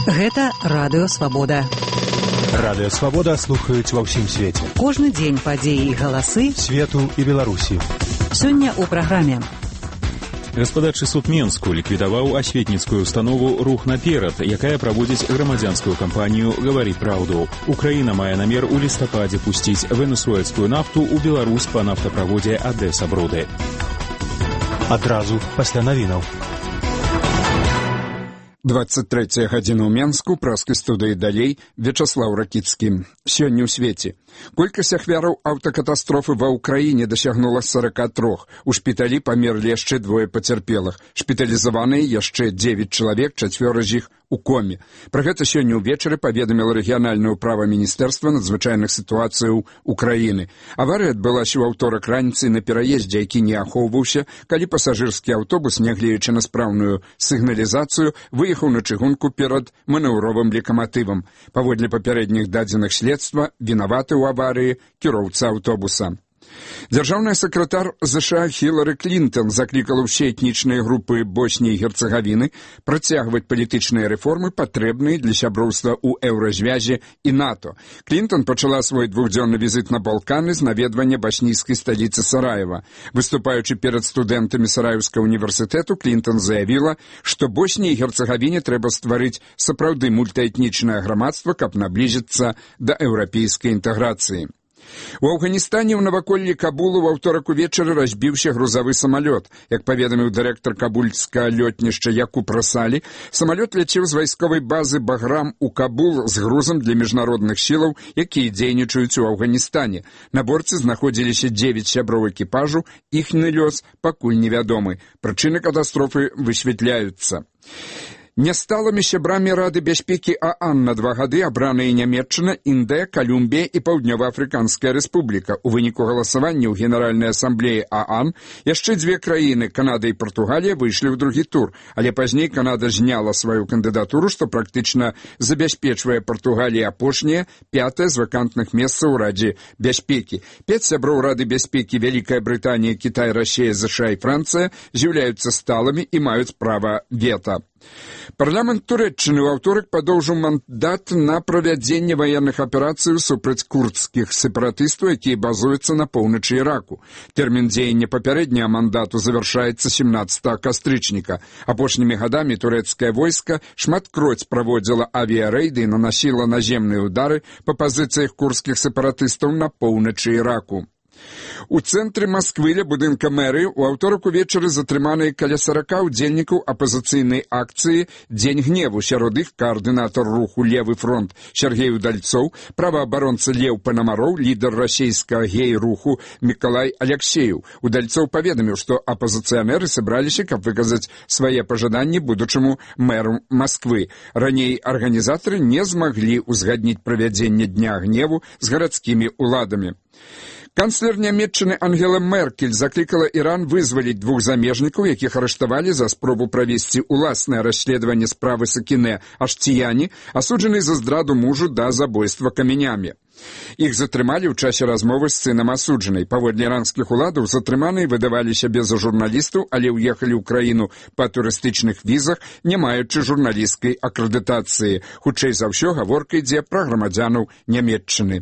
Гэта Радыё Свабода. Радыё Свабода слухаюць ва ўсім свеце. Кожны дзень падзеі і галасы свету і Беларусі. Сёння ў праграме. Гаспадарчы суд Менску ліквідаваў асветніцкую установу «Рух наперад», якая праводзіць грамадзянскую кампанію «Гавары праўду». Украіна мае намер у лістападзе пусціць венесуэльскую нафту ў Беларусь па нафтаправодзе Адэса-Бруды. Адразу пасля навінаў. 23 гадзіна ў Менску, праскай студыі далей, Вячаслаў Ракіцкі. Сёння ў свеце. Колькасць ахвяраў аўтакатастрофы ва ўкраіне дасягнула 43. У шпіталі памерлі яшчэ 2 пацярпелых. Шпіталізаваныя яшчэ 9 чалавек, 4 з іх у коме. Пра гэта сёння ўвечары паведаміла рэгіянальнае ўправа Міністэрства надзвычайных сітуацыяў Украіны. Аварыя адбылася ў аўторак раніцай на пераездзе, які не ахоўваўся, калі пасажырскі аўтобус, нягледзячы на спраўную сігналізацыю, выехаў на чыгунку перад манеўровым лакаматывам. Паводле папярэдніх дадзеных следства, вінаваты ў аварыі кіроўца аўтобуса. Дзяржаўны сакратар ЗША Хілары Клінтон заклікала ўсе этнічныя групы Босніі і Герцагавіны працягваць палітычныя рэформы, патрэбныя для сяброўства ў Еўразвязе і НАТО. Клінтон пачала свой двухдзённы візіт на Балканы з наведвання баснійскай сталіцы Сараева. Выступаючы перад студэнтамі Сараевскага універсітэту, Клінтон заявіла, што Босніі і Герцагавіне трэба стварыць сапраўды мультаэтнічнае грамадства, каб наблізіцца да еўрапейскай інтэграцыі. У Афганістане ў наваколлі Кабулу ва ўторак увечары разбіўся грузавы самалёт. Як паведаміў дырэктар кабульскага лётнішча Якуб Расалі, самалёт ляцеў з вайсковай базы Баграм у Кабул з грузам для міжнародных сілаў, якія дзейнічаюць у Афганістане. На борце знаходзіліся 9 сяброў экіпажу, іхні лёс пакуль невядомы. Прычыны катастрофы высвятляюцца. Нясталымі сябрамі Рады бяспекі ААН на 2 гады абраныя Нямецчына, Індыя, Калумбія і Паўднёва-Афрыканская рэспубліка. У выніку галасавання ў Генеральнай асамблеі ААН яшчэ 2 краіны, Канада і Партугалія, выйшлі ў другі тур, але пазней Канада зняла сваю кандыдатуру, што практычна забяспечвае Партугаліі апошняе, 5е з вакантных месцаў у Радзе бяспекі. 5 сяброў Рады бяспекі Вялікая Брытанія, Кітай, Расія, ЗША і Францыя з'яўляюцца сталымі і маюць права вета. Парламент Турэччыны ў аўторак падоўжыў мандат на правядзенне ваенных аперацый супраць курдскіх сепаратыстаў, якія базуюцца на поўначы Іраку. Тэрмін дзеяння папярэдняга мандату завяршаецца 17 кастрычніка. Апошнімі гадамі турэцкае войска шматкроць праводзіла авіярэйды і нанасіла наземныя ўдары па пазіцыях курдскіх сепаратыстаў на поўначы Іраку. У цэнтры Масквы ля будынка мэрыі ў аўторак увечары затрыманыя каля 40 удзельнікаў апазіцыйнай акцыі «Дзень гневу». Сярод іх каардынатар руху «Левы фронт» Сергей Удальцоў, праваабаронца Леў Панамароў, лідар расійскага гей-руху Мікалай Аляксеев. Удальцоў паведаміў, што апазіцыянеры сабраліся, каб выказаць свае пажаданні будучаму мэру Масквы. Раней арганізатары не змаглі ўзгадніць правядзенне Дня гневу з гарадскімі ўладамі. Канцлер Нямецчыны Ангела Меркель заклікала Іран вызваліць 2 замежнікаў, якіх арыштавалі за спробу правесці уласнае расследаванне справы Сакінэ Аштіяні, асуджанай за здраду мужу да забойства камянямі. Іх затрымалі ў часе размовы з сынам асуджанай. Паводле іранскіх уладаў затрыманыя выдаваліся без журналістаў, але ўехалі ў краіну па турыстычных візах, не маючы журналісцкай акрэдытацыі. Хутчэй за ўсё гаворка ідзе пра грамадзянаў Нямецчыны.